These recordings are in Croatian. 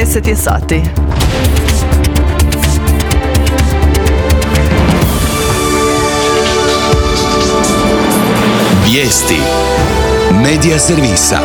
10 je sati. Vijesti Medija servisa.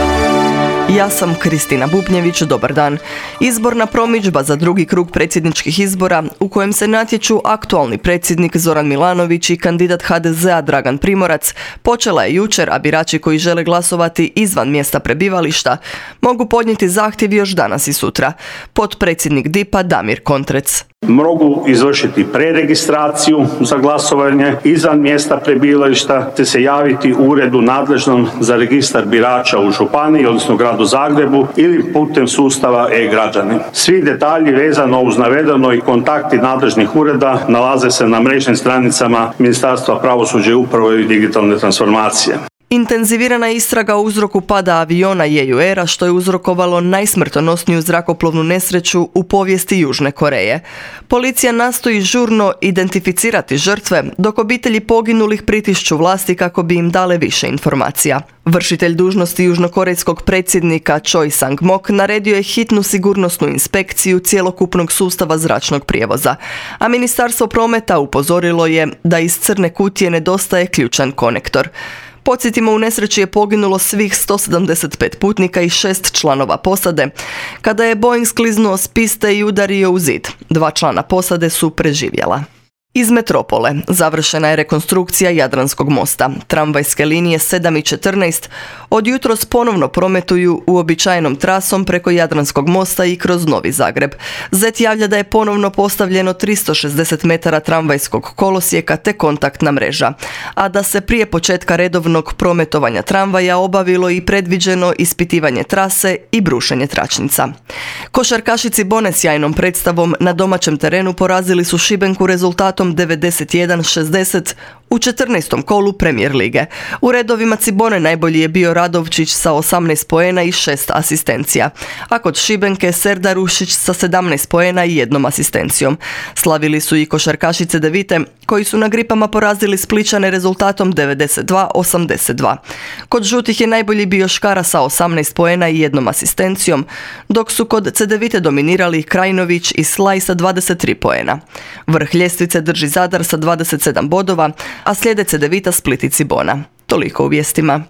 Ja sam Kristina Bubnjević, dobar dan. Izborna promidžba za drugi krug predsjedničkih izbora u kojem se natječu aktualni predsjednik Zoran Milanović i kandidat HDZ-a Dragan Primorac počela je jučer, a birači koji žele glasovati izvan mjesta prebivališta mogu podnijeti zahtjev još danas i sutra. Potpredsjednik DIP-a Damir Kontrec. Mogu izvršiti preregistraciju za glasovanje izvan mjesta prebivališta te se javiti u uredu nadležnom za registar birača u županiji, odnosno gradu Zagrebu ili putem sustava e-građani. Svi detalji vezano uz navedeno i kontakti nadležnih ureda nalaze se na mrežnim stranicama Ministarstva pravosuđa i uprave i digitalne transformacije. Intenzivirana je istraga o uzroku pada aviona Jeju Aira, što je uzrokovalo najsmrtonosniju zrakoplovnu nesreću u povijesti Južne Koreje. Policija nastoji žurno identificirati žrtve, dok obitelji poginulih pritišću vlasti kako bi im dale više informacija. Vršitelj dužnosti južnokorejskog predsjednika Choi Sang-mok naredio je hitnu sigurnosnu inspekciju cjelokupnog sustava zračnog prijevoza, a Ministarstvo prometa upozorilo je da iz crne kutije nedostaje ključan konektor. Podsjetimo, u nesreći je poginulo svih 175 putnika i 6 članova posade, kada je Boeing skliznuo s piste i udario u zid. 2 člana posade su preživjela. Iz metropole završena je rekonstrukcija Jadranskog mosta. Tramvajske linije 7 i 14 od jutros ponovno prometuju uobičajenom trasom preko Jadranskog mosta i kroz Novi Zagreb. ZET javlja da je ponovno postavljeno 360 metara tramvajskog kolosijeka te kontaktna mreža, a da se prije početka redovnog prometovanja tramvaja obavilo i predviđeno ispitivanje trase i brušenje tračnica. Košarkaši Cibone sjajnom predstavom na domaćem terenu porazili su Šibenku rezultatom 91-60 u 14. kolu Premier lige. U redovima Cibone najbolji je bio Radovčić sa 18 poena i 6 asistencija, a kod Šibenke Serdarušić sa 17 poena i 1 asistencijom. Slavili su i košarkaši Cedevite, koji su na Gripama porazili Splićane rezultatom 92-82. Kod žutih je najbolji bio Škara sa 18 poena i 1 asistencijom, dok su kod Cedevite dominirali Krajinović i Slaj sa 23 poena. Vrh ljestvice drži Zadar sa 27 bodova, a slijede Cedevita, Split i Cibona. Toliko u vijestima.